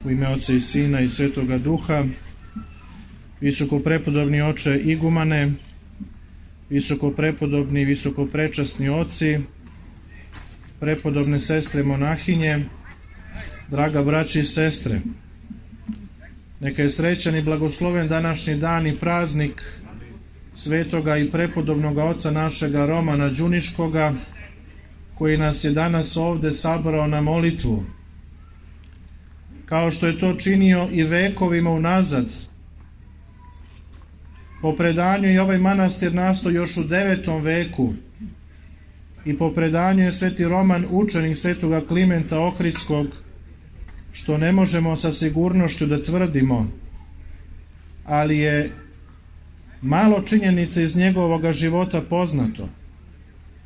U ime Oca i Sina i Svetoga Duha, visokoprepodobni oče igumane, visokoprepodobni i visokoprečasni oci, prepodobne sestre monahinje, draga braći i sestre, neka je srećan i blagosloven današnji dan i praznik svetoga i prepodobnoga oca našega Romana Đuniškoga, koji nas je danas ovde sabrao na molitvu, kao što je to činio i vekovima unazad. Po predanju je ovaj manastir nastao još u 9. veku i po predanju je sveti Roman učenik svetoga Klimenta Ohridskog, što ne možemo sa sigurnošću da tvrdimo, ali je malo činjenica iz njegovog života poznato.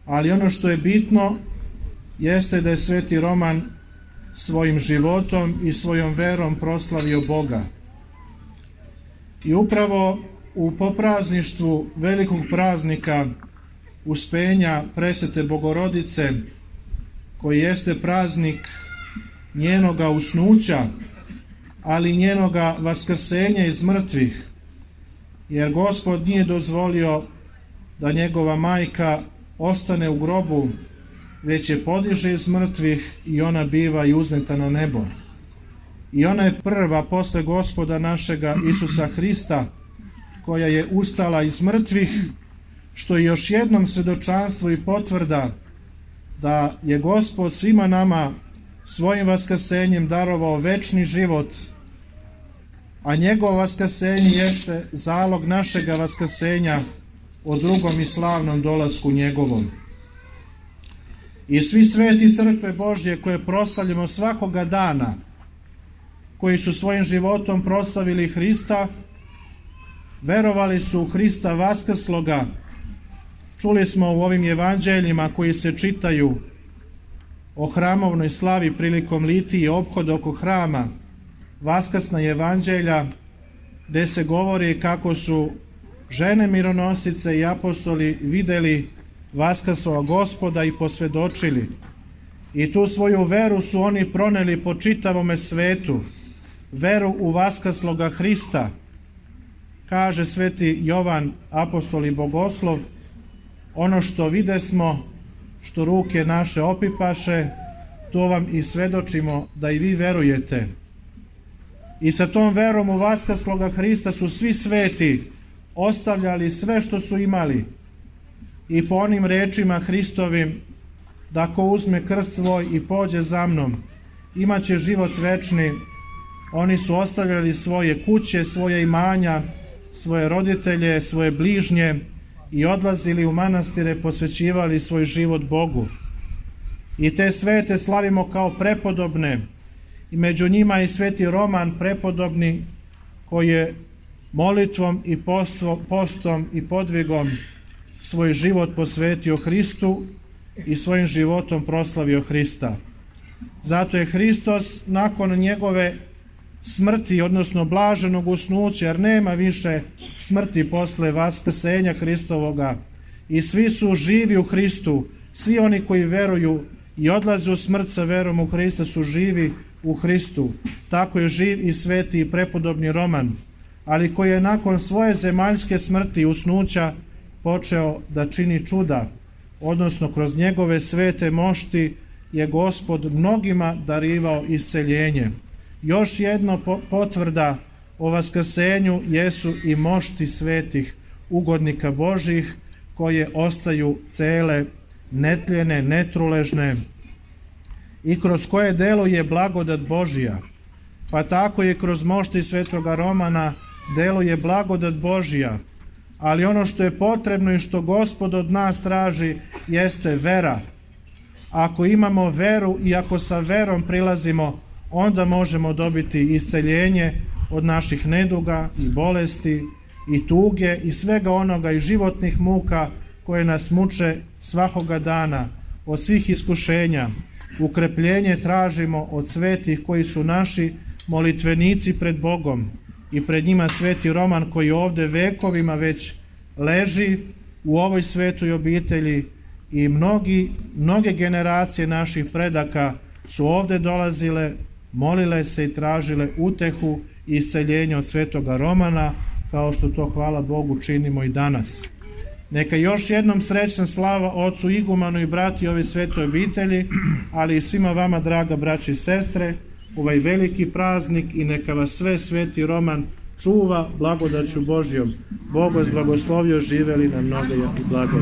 Ali ono što je bitno jeste da je sveti Roman svojim životom i svojom verom proslavio Boga. I upravo u poprazništvu velikog praznika Uspenja Presvete Bogorodice, koji jeste praznik njenoga usnuća, ali njenoga vaskrsenja iz mrtvih, jer Gospod nije dozvolio da njegova majka ostane u grobu, već je podiže iz mrtvih i ona biva i uzneta na nebo. I ona je prva posle Gospoda našega Isusa Hrista, koja je ustala iz mrtvih, što je još jednom svedočanstvo i potvrda da je Gospod svima nama svojim vaskrsenjem darovao večni život, a njegovo vaskrsenje jeste zalog našega vaskrsenja o drugom i slavnom dolasku njegovom. I svi sveti crkve Božje koje proslavljamo svakoga dana, koji su svojim životom proslavili Hrista, verovali su u Hrista vaskrsloga. Čuli smo u ovim evanđeljima koji se čitaju o hramovnoj slavi prilikom litije i ophoda oko hrama, vaskrsna evanđelja, gde se govori kako su žene mironosice i apostoli videli vaskrslog Gospoda i posvedočili. I tu svoju veru su oni proneli po čitavome svetu, veru u vaskrsloga Hrista. Kaže sveti Jovan, apostol i bogoslov, ono što videsmo, što ruke naše opipaše, to vam i svedočimo da i vi verujete. I sa tom verom u vaskrsloga Hrista su svi sveti ostavljali sve što su imali i po onim rečima Hristovim, da ko uzme krst svoj i pođe za mnom, imaće život večni. Oni su ostavljali svoje kuće, svoje imanja, svoje roditelje, svoje bližnje i odlazili u manastire, posvećivali svoj život Bogu. I te svete slavimo kao prepodobne, i među njima i sveti Roman prepodobni, koji je molitvom i postom i podvigom svoj život posvetio Hristu i svojim životom proslavio Hrista. Zato je Hristos nakon njegove smrti, odnosno blaženog usnuća, jer nema više smrti posle vaskrsenja Hristovoga, i svi su živi u Hristu, svi oni koji veruju i odlaze u smrt sa verom u Hrista su živi u Hristu. Tako je živ i sveti i prepodobni Roman, ali koji je nakon svoje zemaljske smrti i usnuća počeo da čini čuda, odnosno kroz njegove svete mošti je Gospod mnogima darivao isceljenje. Još jedno potvrda o vaskrsenju jesu i mošti svetih ugodnika Božih, koje ostaju cele, netljene, netruležne i kroz koje deluje blagodat Božja. Pa tako je kroz mošti svetoga Romana deluje blagodat Božja. Ali ono što je potrebno i što Gospod od nas traži jeste vera. Ako imamo veru i ako sa verom prilazimo, onda možemo dobiti isceljenje od naših neduga i bolesti i tuge i svega onoga i životnih muka koje nas muče svakoga dana, od svih iskušenja. Ukrepljenje tražimo od svetih koji su naši molitvenici pred Bogom, i pred njima sveti Roman, koji ovde vekovima već leži u ovoj svetoj obitelji, i mnoge generacije naših predaka su ovde dolazile molile se i tražile utehu i isceljenje od svetoga Romana, kao što to, hvala Bogu, činimo i danas. Neka još jednom srećna slava ocu igumanu i brati ove svetoj obitelji, ali i svima vama, draga braći i sestre, ovaj veliki praznik, i neka vas sve sveti Roman čuva blagodaću Božjom. Bog vas blagoslovio, živeli na mnogo i blago.